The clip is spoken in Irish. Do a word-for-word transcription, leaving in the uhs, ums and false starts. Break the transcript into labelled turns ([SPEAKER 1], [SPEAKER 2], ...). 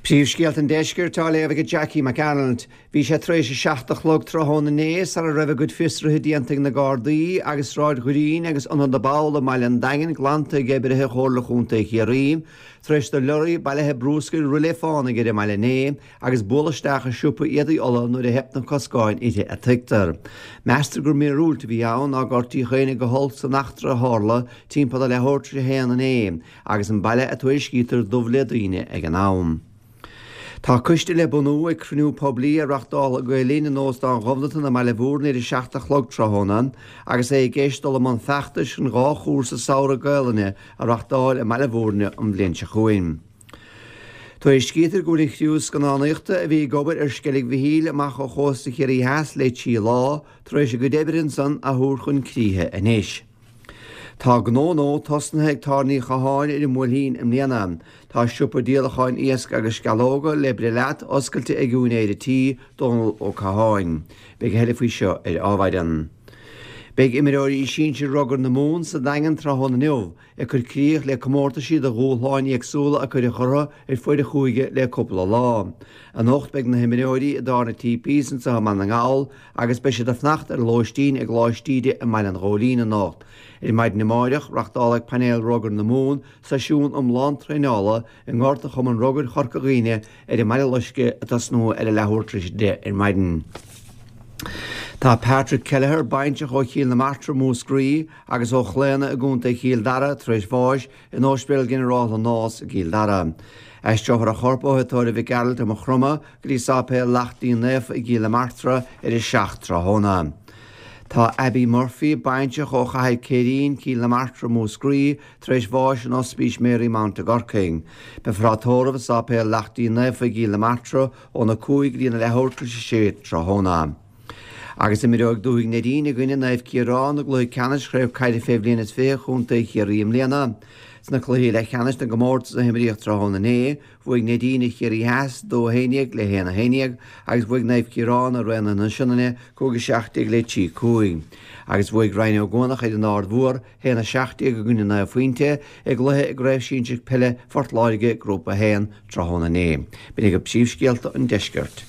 [SPEAKER 1] Príomhscéalta an deiscirt á léamh ag Jackie McArnold. Bhí sé tar éis a seacht a chlog tráthnóna inné sara raibh a gcuid fiosruithe déanta ag na Gardaí agus Sráid Ghreen agus Ionad na bPoll i mBaile an Daingin glanta ag oibrithe Chomhairle Chontae Chiarraí, tar éis do leoraí bailithe bruscair rith le fánaigh ar an mbaile inné agus bualadh isteach i siopa éadaí Uladh nuair a theip na coscáin uirthi a tuigtear. Meastar gur míorúilt a bhí ann nár gortaíodh éinne go holc san eachtra a tharla timpeall a leathuair tar éis a haon inné agus an baile a tuairiscítear dubh le daoine ag an am. Tá coiste le bunú ag cruinniú poiblí a reáchtálfaidh Gael Linn in Óstán Ghobnatan i mBaile Bhúirne ar a seacht a chlog tráthnóna agus é i gceist dul i mbun feachtais chun dhá chúrsa samhraidh Gaelainne a reáchtáil i mBaile Bhúirne an bhliain seo chugainn. Tuairiscítear go bhfuil an chriú scannánaíochta a bhí ag obair ar Sceilg Mhichíl amach ó chósta Chiarraí Theas le trí lá tar éis a gcuid oibre ansan a thabhairt chun críche anois. Tá gnó nua tosnaithe ag Tara Ní Chatháin ar an mBuailtín i mbliana. Tá siopa díolacháin iasc agus sceallóga le breith leat oscailte ag úinéir an tí, Dónal Ó Catháin. Beidh a thuilleadh faoi seo ar Adhmhaidin. Beidh imreoirí sinsir Rugar na Mumhan sa Daingean tráthnóna inniu ag cur críoch le comórtaisí do dhúshláin éagsúla a cuireadh orthu ar fuaid an chúige le cúpla lá. Anocht beidh na himreoirí i dtábhairne T.P.'s anseo i mBaile na nGall agus beidh siad ag fanacht ar lóistín i gColáiste Íde i mBaile an Ghóilín anocht. Ar maidin amáireach reáchtálfaidh painéal Rugar na Mumhan seisiún iomlán traenála i ngort Chumann Rugair Chorca Dhuibhne ar an mBaile Loiscthe ag tosnú ar a leathuair tar éis a deich ar maidin. Tá Patrick Kelleher bainteach ó Chill na Martra Múscraí agus ó Chlaona i gContae Chill Dara tar éis bháis in Ospidéal Ginearálta Nás i gCill Dara. Aistreofar a chorp ó Thigh Mhic Gearailt i Maigh Chromtha go dtí Sáipéal Lachtaín Naofa i gCill na Martra ar a seacht tráthnóna. Tá Abby Murphy bainteach ó Chathair Céirín Cill na Martra Múscraí tar éis bháis in Ospís Marymount i gCorcaigh. Beifear á tórramh i Sáipéal Lachtaín Naofa i gCill na Martra óna cúig go dtí na leathuair tar éis a sé tráthnóna. Agus imreoidh Dúthaigh Neidín i gcoinne Naomh Ciarán i gcluiche ceannais Chraobh Caide fé bhliain is fiche Chontae Chiarraí i mbliana. Sna cluichí leathcheannais na gcomórtas a himríodh tráthnóna inné, bhuaigh Neidín ar Chiarraí Theas dó a haon déag le haon a haon déag agus bhuaigh Naomh Ciarán ar Raonaithe na Sionainne cúig a seacht déag le trí cúig. Agus bhuaigh Rinn Ó gCuanach ar an Aird Mhór haon a seacht déag i gcoinne naoi phointe i gcluiche i gCraobh Shinsir Peile Phort Láirge Grúpa a haon tráthnóna inné. B'in iad príomhscéalta an deiscirt.